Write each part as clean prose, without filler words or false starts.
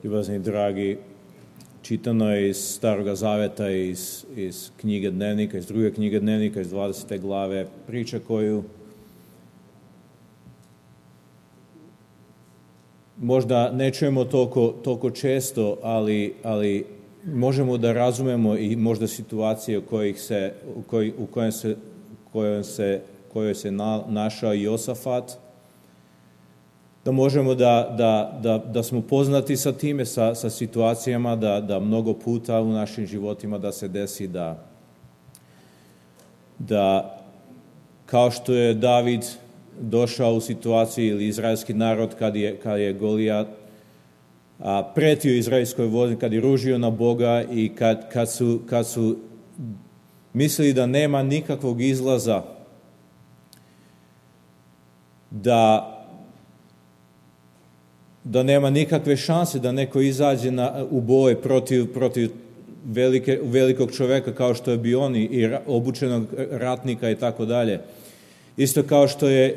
Ljubazni dragi, čitano je iz Staroga Zaveta, iz knjige Dnevnika, iz druge knjige Dnevnika, iz 20. glave, priča koju možda ne čujemo toliko često, ali možemo da razumemo i možda situacije u kojoj se našao Josafat, da možemo da smo poznati sa time, sa situacijama, da mnogo puta u našim životima da se desi da kao što je David došao u situaciju ili izraelski narod kad je Golijat pretio izraelskoj vojsci, kad je ružio na Boga i kad su mislili da nema nikakvog izlaza, da nema nikakve šanse da neko izađe u boj protiv velikog čoveka kao što je bio on i obučenog ratnika i tako dalje. Isto kao što je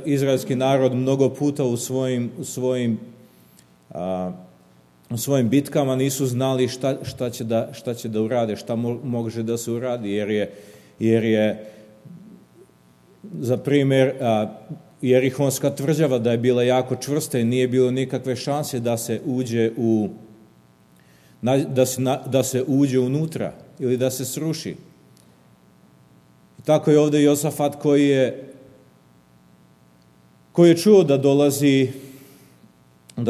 izraelski narod mnogo puta u svojim bitkama nisu znali šta će da urade, šta može da se uradi, jer je za primjer Jerihonska tvrđava da je bila jako čvrsta i nije bilo nikakve šanse da se uđe unutra ili da se sruši. I tako je ovdje Josafat koji je čuo da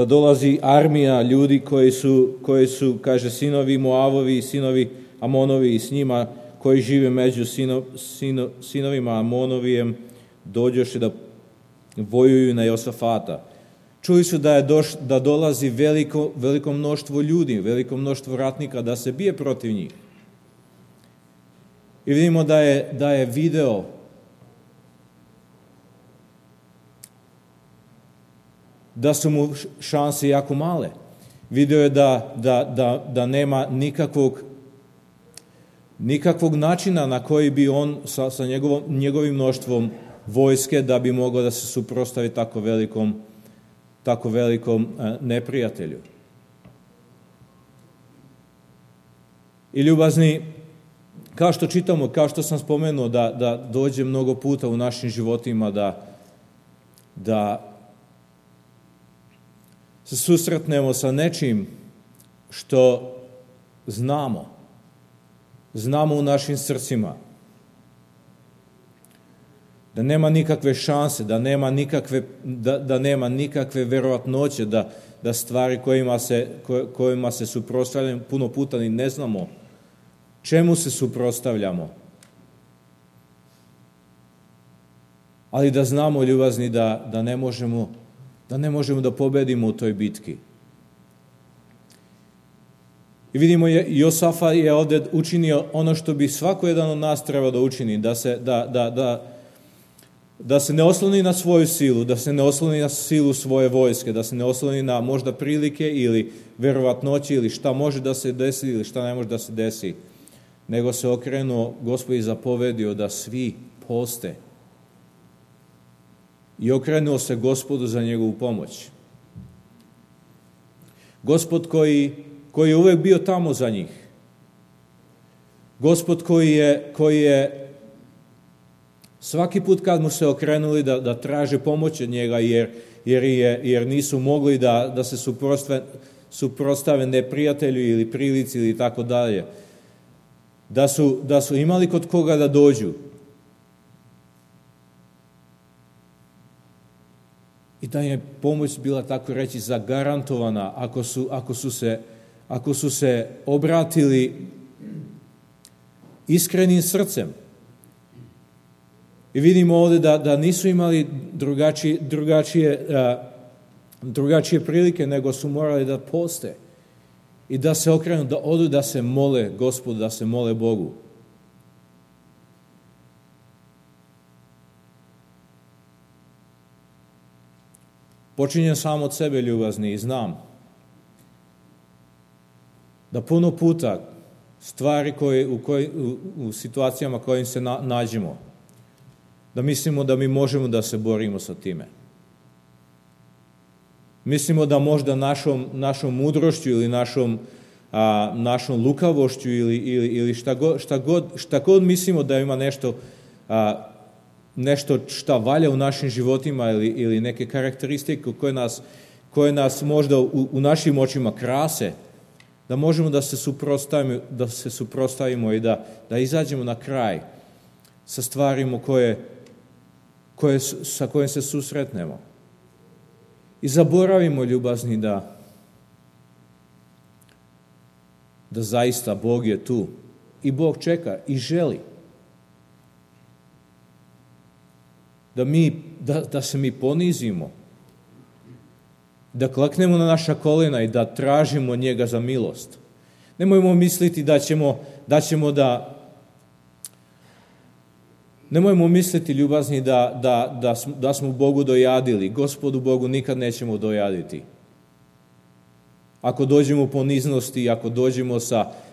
dolazi armija ljudi koji su, kaže, sinovi Moavovi i sinovi Amonovi i s njima koji žive među sinovima Amonovijem, dođoše da vojuju na Josafata. Čuli su da dolazi veliko mnoštvo ljudi, veliko mnoštvo ratnika da se bije protiv njih. I vidimo da je video da su mu šanse jako male. Video je da nema nikakvog načina na koji bi on sa njegovim mnoštvom vojske da bi mogao da se suprotstavi tako velikom neprijatelju. I ljubazni, kao što čitamo, kao što sam spomenuo, da dođe mnogo puta u našim životima da se susretnemo sa nečim što znamo u našim srcima, da nema nikakve šanse, da nema nikakve verovatnoće da stvari kojima se suprotstavljamo puno puta ni ne znamo čemu se suprotstavljamo. Ali da znamo, ljubazni, da ne možemo da pobedimo u toj bitki. I vidimo, Josafat je ovdje učinio ono što bi svako jedan od nas trebao da učini, da se ne osloni na svoju silu, da se ne osloni na silu svoje vojske, da se ne osloni na možda prilike ili verovatnoće ili šta može da se desi ili šta ne može da se desi, nego se okrenuo, Gospod je zapovedio da svi poste i okrenuo se Gospodu za njegovu pomoć. Gospod koji je uvek bio tamo za njih. Gospod koji je svaki put kad mu se okrenuli da traže pomoć od njega jer nisu mogli da se suprotstave neprijatelju ili prilici ili tako dalje, da su imali kod koga da dođu. I da je pomoć bila, tako reći, zagarantovana ako su se obratili iskrenim srcem. I vidimo ovdje da nisu imali drugačije prilike, nego su morali da poste i da se okrenu, da odu da se mole Gospodu, da se mole Bogu. Počinjem sam od sebe, ljubazni, i znam da puno puta stvari u situacijama kojim se nađemo, da mislimo da mi možemo da se borimo sa time. Mislimo da možda našom mudrošću ili našom lukavošću ili šta god mislimo da ima nešto šta valja u našim životima ili neke karakteristike koje nas možda u našim očima krase, da možemo da se suprotstavimo i da izađemo na kraj sa stvarima sa kojim se susretnemo. I zaboravimo, ljubazni, da zaista Bog je tu i Bog čeka i želi da se mi ponizimo, da kleknemo na naša kolena i da tražimo njega za milost. Nemojmo misliti nemojmo misliti, ljubazni, da smo Bogu dojadili. Gospodu Bogu nikad nećemo dojaditi. Ako dođemo u poniznosti, ako dođemo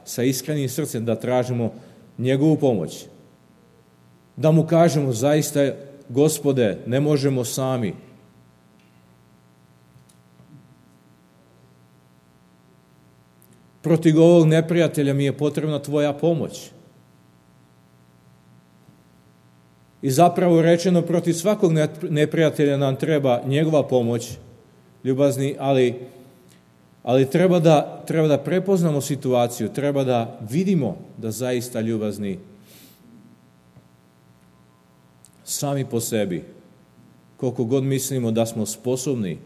sa iskrenim srcem da tražimo njegovu pomoć, da mu kažemo zaista, Gospode, ne možemo sami. Protiv ovog neprijatelja mi je potrebna tvoja pomoć. I zapravo rečeno, protiv svakog neprijatelja nam treba njegova pomoć, ljubazni, ali treba da prepoznamo situaciju, treba da vidimo da zaista, ljubazni, sami po sebi, koliko god mislimo da smo sposobni,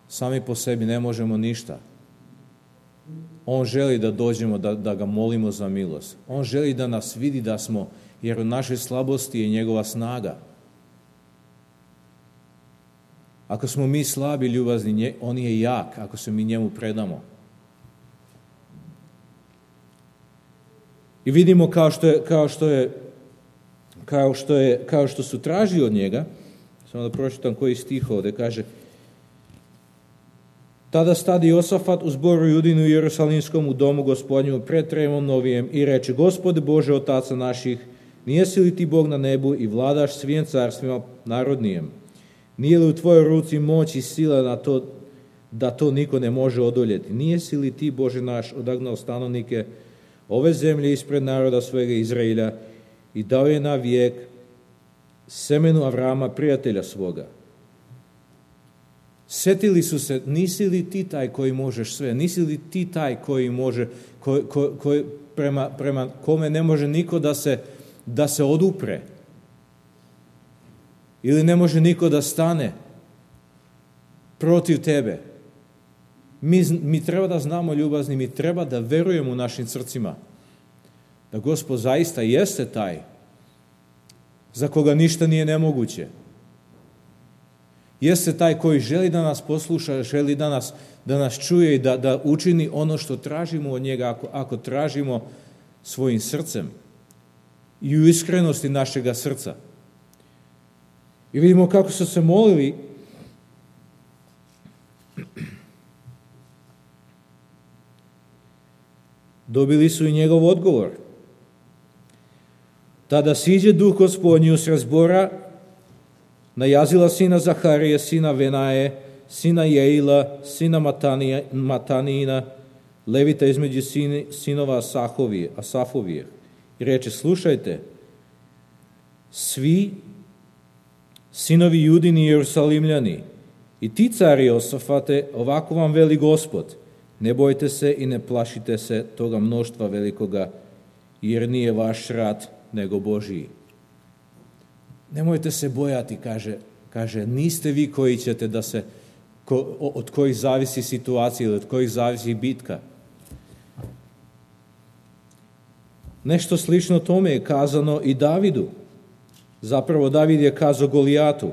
sami po sebi ne možemo ništa. On želi da dođemo, da ga molimo za milost. On želi da nas vidi da smo, jer u našoj slabosti je njegova snaga. Ako smo mi slabi, ljubazni, on je jak, ako se mi njemu predamo. I vidimo kao što su tražili od njega, samo da pročitam koji stih ovdje, kaže: Tada stade Josafat u zboru Judinu i Jerusalimskom u domu Gospodnju pred tremom novijem i reče: Gospode Bože otaca naših, nijesi li ti Bog na nebu i vladaš svim carstvima narodnijem? Nije li u tvojoj ruci moć i sila da to niko ne može odoljeti? Nijesi li ti, Bože naš, odagnao stanovnike ove zemlje ispred naroda svojega Izraelja i dao je na vijek semenu Avrama, prijatelja svoga? Sjetili su se, nisi li ti taj koji možeš sve? Nisi li ti taj koji može, prema kome ne može niko da se odupre? Ili ne može niko da stane protiv tebe? Mi treba da znamo, ljubazni, mi treba da verujemo u našim srcima da Gospod zaista jeste taj za koga ništa nije nemoguće. Jeste taj koji želi da nas posluša, želi da nas čuje i da učini ono što tražimo od njega, ako tražimo svojim srcem i u iskrenosti našega srca. I vidimo kako su se molili. Dobili su i njegov odgovor. Tada siđe duh Gospodnji usred zbora na Jazila sina Zaharije, sina Venaje, sina Jeila, sina Matanina, levita između sinova Asafovije. I reče: slušajte, svi sinovi Judini i Jerusalimljani, i ti, cari Josafate, ovako vam veli Gospod: ne bojte se i ne plašite se toga mnoštva velikoga, jer nije vaš rat, nego Božiji. Nemojte se bojati, kaže, niste vi koji ćete od kojih zavisi situacija ili od kojih zavisi bitka. Nešto slično tome je kazano i Davidu. Zapravo David je kazao Golijatu.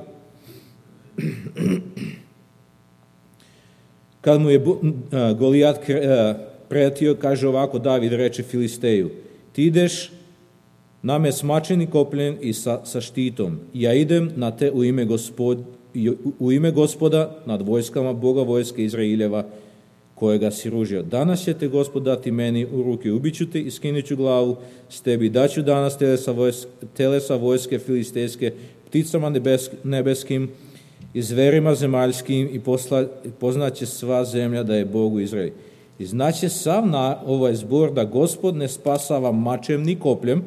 Kad mu je Golijat pretio, kaže ovako David, reče Filisteju: ti ideš na me smačeni kopljen i sa štitom. Ja idem na te u ime Gospoda nad vojskama Boga vojske Izraeljeva, kojega si ružio. Danas će te Gospod dati meni u ruke, ubiću te i skinuću glavu s tebi. Daću danas telesa vojske filistejske pticama nebeskim i zverima zemaljskim i poznaće sva zemlja da je Bog u Izraeli. I znaće sav na ovaj zbor da Gospod ne spasava mačem ni kopljem,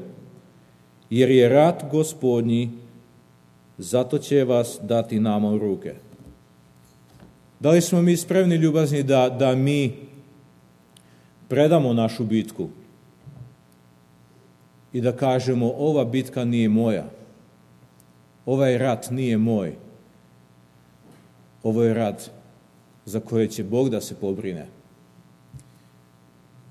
jer je rat Gospodnji, zato će vas dati nama u ruke. Da li smo mi spremni, ljubazni, da mi predamo našu bitku i da kažemo ova bitka nije moja, ovaj rat nije moj, ovo je rat za koje će Bog da se pobrine.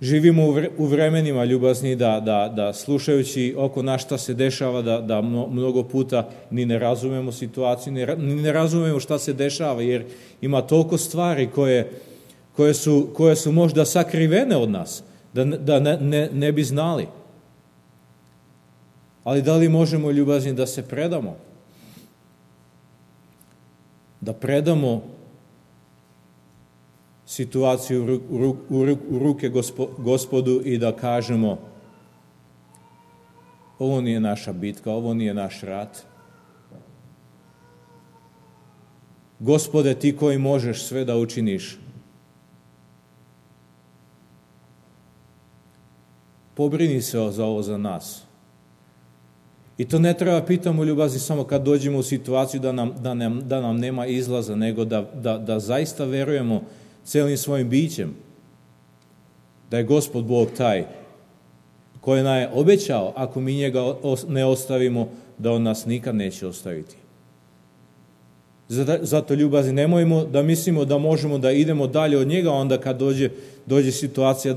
Živimo u vremenima, ljubazni, da slušajući oko nas šta se dešava, da mnogo puta ni ne razumemo situaciju, ni ne razumemo šta se dešava, jer ima toliko stvari koje su možda sakrivene od nas, da ne bi znali. Ali da li možemo, ljubazni, da se predamo? Da predamo situaciju u ruke Gospodu i da kažemo ovo nije naša bitka, ovo nije naš rat. Gospode, ti koji možeš sve da učiniš, pobrini se za ovo za nas. I to ne treba pitamo, ljubazni, samo kad dođemo u situaciju da nam nema izlaza, nego da zaista verujemo celim svojim bićem da je Gospod Bog taj koji nam je obećao, ako mi njega ne ostavimo, da on nas nikad neće ostaviti. Zato, ljubazni, nemojmo da mislimo da možemo da idemo dalje od njega, onda kad dođe situacija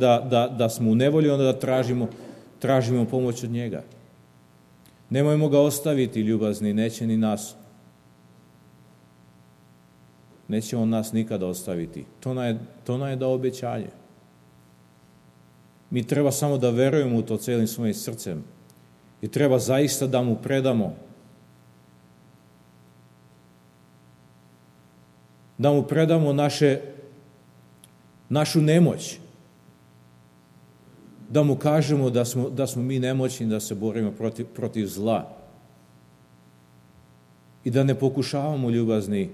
da smo u nevolji, onda da tražimo pomoć od njega. Nemojmo ga ostaviti, ljubazni, neće ni nas. Neće on nas nikada ostaviti. To nam je dao obećanje. Mi treba samo da verujemo u to celim svojim srcem. I treba zaista da mu predamo. Da mu predamo našu nemoć. Da mu kažemo da smo mi nemoćni, da se borimo protiv zla. I da ne pokušavamo, ljubazni,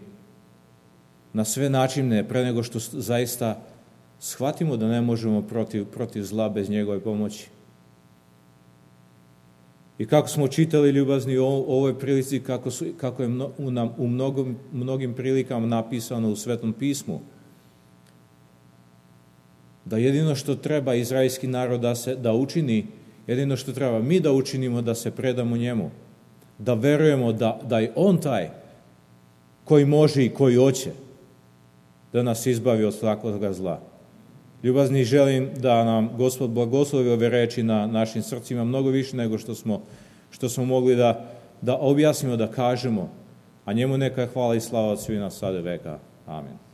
na sve načine, pre nego što zaista shvatimo da ne možemo protiv zla bez njegove pomoći. I kako smo čitali, ljubazni, u ovoj prilici, kako je u mnogim prilikama napisano u Svetom pismu, da jedino što treba izraelski narod da učini, jedino što treba mi da učinimo, da se predamo njemu, da verujemo da je on taj koji može i koji hoće da nas izbavi od svakoga zla. Ljubazni, želim da nam Gospod blagoslovi ove reči na našim srcima mnogo više nego što smo mogli da objasnimo, da kažemo, a njemu neka je hvala i slava od svih nas sada veka. Amen.